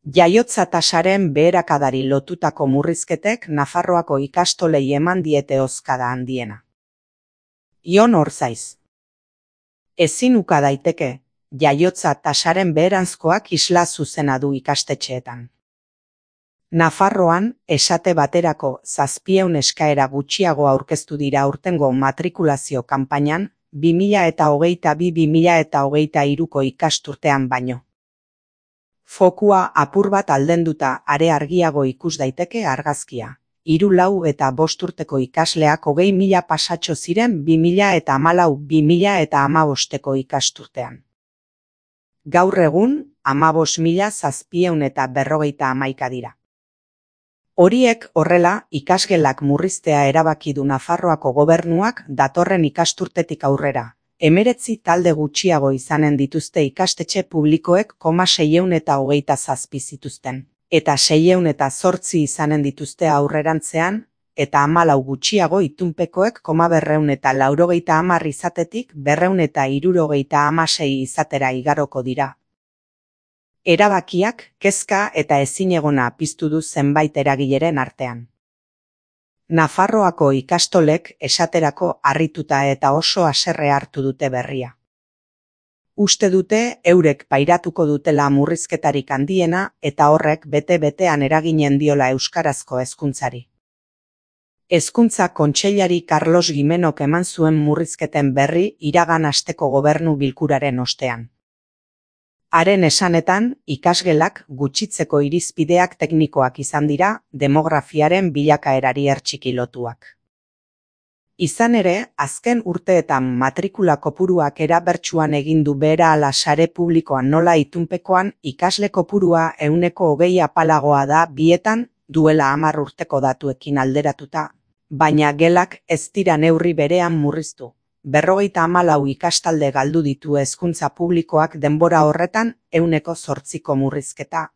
Jaiotza tasaren beherakadari lotutako murrizketek Nafarroako ikastolei eman diete hozkada handiena. Ion Orzaiz. Ezin uka daiteke, jaiotza tasaren beheranzkoak isla zuzena du ikastetxeetan. Nafarroan, esate baterako 700 eskaera gutxiago aurkeztu dira aurtengo matrikulazio kanpainan, 2022-2023ko ikasturtean baino. Fokua apur bat aldenduta are argiago ikus daiteke argazkia. 3, 4 eta 5 urteko ikasleak 20.000 pasatxo ziren 2014-2015ko ikasturtean. Gaur egun, 15.751 dira. Horiek horrela, ikasgelak murriztea erabaki du Nafarroako gobernuak datorren ikasturtetik aurrera. 19 talde gutxiago izanen dituzte ikastetxe publikoek 627 zituzten, eta 608 izanen dituzte aurrerantzean, eta 14 gutxiago itunpekoek 290 izatetik 276 izatera igaroko dira. Erabakiak, kezka eta ezinegona piztu du zenbait eragileren artean. Nafarroako ikastolek esaterako harrituta eta oso haserre hartu dute berria. Uste dute eurek pairatuko dutela murrizketarik handiena eta horrek bete-betean eraginen diola euskarazko hezkuntzari. Hezkuntza kontseilari Carlos Gimenok eman zuen murrizketen berri iragan asteko gobernu bilkuraren ostean. Haren esanetan, ikasgelak gutxitzeko irizpideak teknikoak izan dira, demografiaren bilakaerari hertsiki lotuak. Izan ere, azken urteetan matrikula kopuruak erabertsuan egin du behera ala sare publikoan nola itunpekoan ikasle kopurua 20% apalagoa da bietan duela 10 urteko datuekin alderatuta, baina gelak ez dira neurri berean murriztu. 54 ikastalde galdu ditu hezkuntza publikoak denbora horretan 8% murrizketa.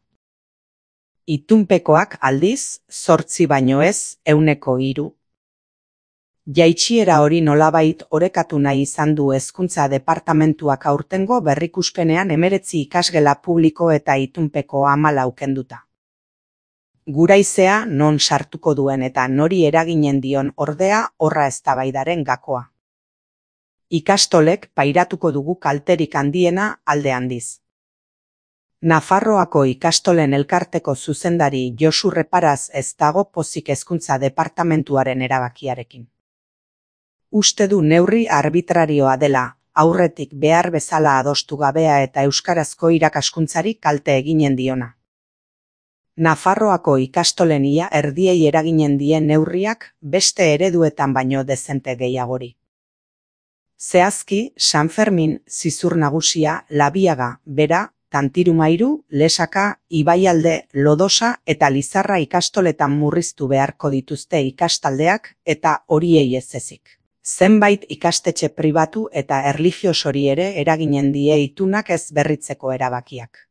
Itunpekoak aldiz, 8 baino ez, 3%. Jaitsiera hori nolabait orekatu nahi izan du hezkuntza departamentuak aurtengo berrikuspenean 19 ikasgela publiko eta itunpeko 14 kenduta. Guraizea non sartuko duen eta nori eraginen dion ordea horra eztabaidaren gakoa. Ikastolek pairatuko dugu kalterik handiena alde handiz. Nafarroako ikastolen elkarteko zuzendari Josu Reparaz ez dago pozik hezkuntza departamentuaren erabakiarekin. Uste du neurri arbitrarioa dela, aurretik behar bezala adostu gabea eta euskarazko irakaskuntzari kalte eginen diona. Nafarroako ikastolen ia erdiei eraginen dien neurriak beste ereduetan baino dezente gehiagori. Zehazki, San Fermin, Zizur Nagusia, Labiaga, Bera, Tantirumairu, Lesaka, Ibaialde, Lodosa eta Lizarra ikastoletan murriztu beharko dituzte ikastaldeak eta horiei ez ezik. Zenbait ikastetxe pribatu eta erlijiosori ere eraginen die itunak ez berritzeko erabakiak.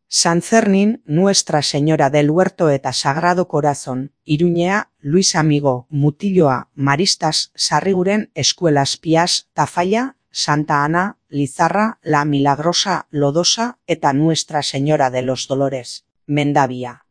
San Zernin, Nuestra Señora del Huerto eta Sagrado Corazón, Iruñea, Luis Amigo, Mutilloa, Maristas, Sarriguren, Eskuelas Pias, Tafalla, Santa Ana, Lizarra, La Milagrosa, Lodosa eta Nuestra Señora de los Dolores, Mendabia.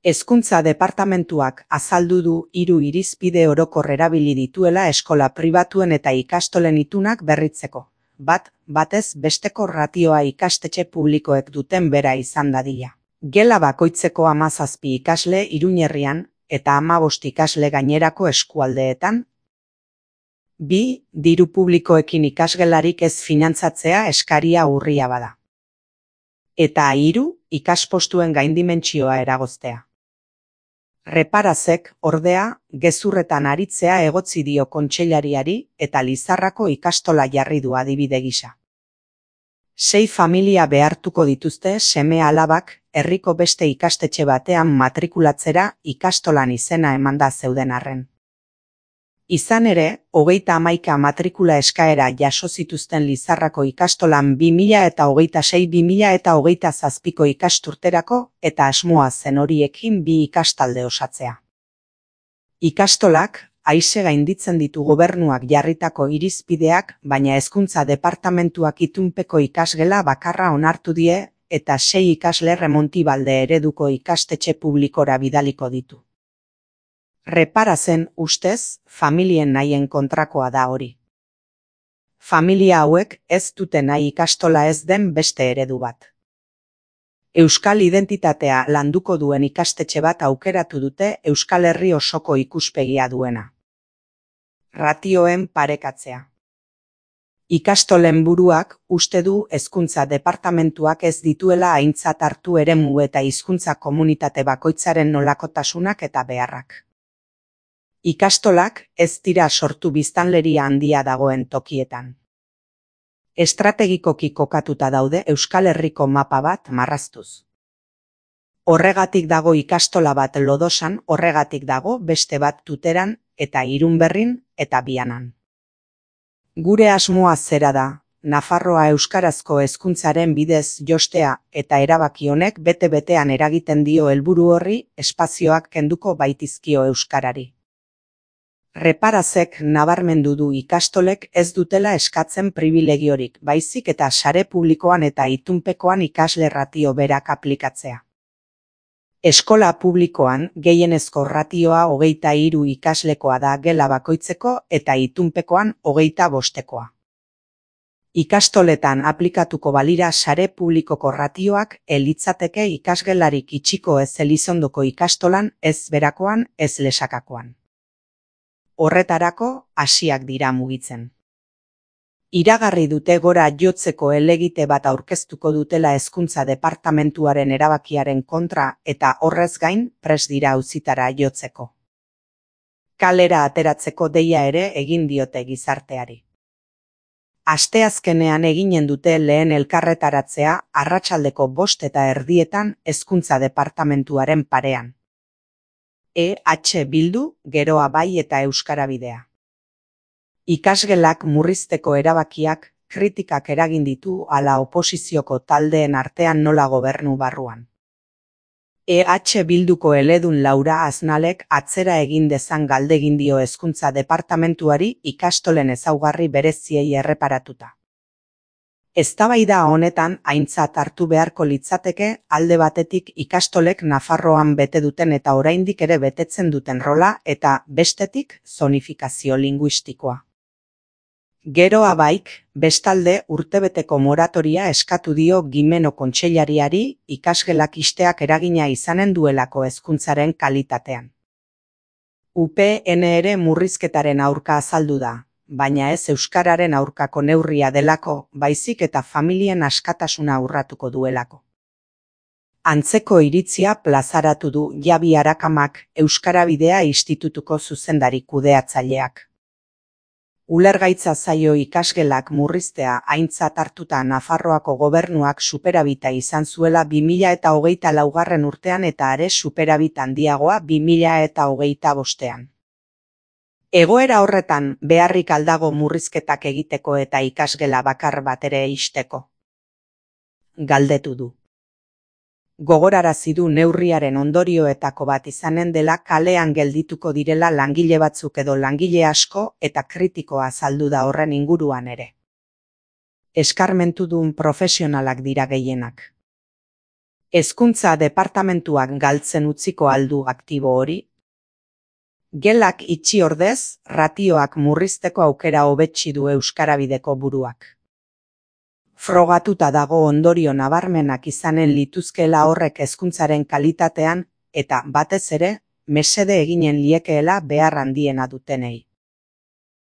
Hezkuntza departamentuak azaldu du 3 irizpide orokor erabili dituela eskola pribatuen eta ikastolen itunak berritzeko. Batez besteko ratioa ikastetxe publikoek duten bera izan dadila. Gela bakoitzeko 17 ikasle Iruñerrian eta 15 ikasle gainerako eskualdeetan. 2. Diru publikoekin ikasgelarik ez finantzatzea eskaria urria bada. Eta 3. Ikaspostuen gaindimentsioa eragoztea. Reparazek, ordea, gezurretan aritzea egotzi dio kontseilariari eta Lizarrako ikastola jarri du adibide gisa. 6 familia behartuko dituzte seme alabak herriko beste ikastetxe batean matrikulatzera ikastolan izena emanda zeuden arren. Izan ere, 31 matrikula eskaera jaso zituzten Lizarrako ikastolan 2026-2027ko ikasturterako eta asmoa zen horiekin 2 ikastalde osatzea. Ikastolak, aise gainditzen ditu gobernuak jarritako irizpideak, baina hezkuntza departamentuak itunpeko ikasgela bakarra onartu die eta 6 ikasle Remontibalde ereduko ikastetxe publikora bidaliko ditu. Reparazen ustez, familien nahien kontrakoa da hori. Familia hauek ez dute nahi ikastola ez den beste eredu bat. Euskal identitatea landuko duen ikastetxe bat aukeratu dute Euskal Herri osoko ikuspegia duena. Ratioen parekatzea. Ikastolen buruak uste du hezkuntza departamentuak ez dituela aintzat hartu eremu eta hizkuntza komunitate bakoitzaren nolakotasunak eta beharrak. Ikastolak ez dira sortu biztanleria handia dagoen tokietan. Estrategikoki kokatuta daude Euskal Herriko mapa bat marraztuz. Horregatik dago ikastola bat Lodosan, horregatik dago beste bat Tuteran eta Irunberrin eta Bianan. Gure asmoa zera da, Nafarroa euskarazko hezkuntzaren bidez jostea eta erabaki honek bete-betean eragiten dio helburu horri espazioak kenduko baitizkio euskarari. Reparazek nabarmendu du ikastolek ez dutela eskatzen pribilegiorik, baizik eta sare publikoan eta itunpekoan ikasle ratio berak aplikatzea. Eskola publikoan gehienezko ratioa 23 ikaslekoa da gela bakoitzeko eta itunpekoan 25. Ikastoletan aplikatuko balira sare publikoko ratioak litzateke ikasgelarik itxiko ez Elizondoko ikastolan ez berakoan ez lesakakoan. Horretarako hasiak dira mugitzen. Iragarri dute gora jotzeko helegite bat aurkeztuko dutela hezkuntza departamentuaren erabakiaren kontra eta horrez gain prest dira auzitara jotzeko. Kalera ateratzeko deia ere egin diote gizarteari. Asteazkenean eginen dute lehen elkarretaratzea arratsaldeko 5:30 hezkuntza departamentuaren parean. EH Bildu, Geroa Bai eta Euskara Bidea. Ikasgelak murrizteko erabakiak kritikak eragin ditu ala oposizioko taldeen artean nola gobernu barruan. EH Bilduko eledun Laura Aznalek atzera egin dezan galdegin dio hezkuntza departamentuari ikastolen ezaugarri bereziei erreparatuta. Eztabaida honetan aintzat hartu beharko litzateke alde batetik ikastolek Nafarroan bete duten eta oraindik ere betetzen duten rola eta bestetik zonifikazio linguistikoa. Geroa Baik, bestalde urtebeteko moratoria eskatu dio Gimeno kontseilariari ikasgelak ixteak eragina izanen duelako hezkuntzaren kalitatean. UPN ere murrizketaren aurka azaldu da, baina ez euskararen aurkako neurria delako, baizik eta familien askatasuna urratuko duelako. Antzeko iritzia plazaratu du Jabi Arakamak Euskara Bidea institutuko zuzendari kudeatzaileak. Ulergaitza zaio ikasgelak murriztea aintzat hartuta Nafarroako gobernuak superabita izan zuela 2024 urtean eta are superabit handiagoa 2025. Egoera horretan beharrik aldago murrizketak egiteko eta ikasgela bakar bat ere ixteko. Galdetu du. Gogorarazi du neurriaren ondorioetako bat izanen dela kalean geldituko direla langile batzuk edo langile asko eta kritikoa azaldu da horren inguruan ere. Eskarmentudun profesionalak dira gehienak. Hezkuntza departamentuak galtzen utziko aldu aktibo hori. Gelak itxi ordez, ratioak murrizteko aukera hobetsi du Euskara Bideko buruak. Frogatuta dago ondorio nabarmenak izanen lituzkeela horrek hezkuntzaren kalitatean eta batez ere mesede eginen liekeela behar handiena dutenei.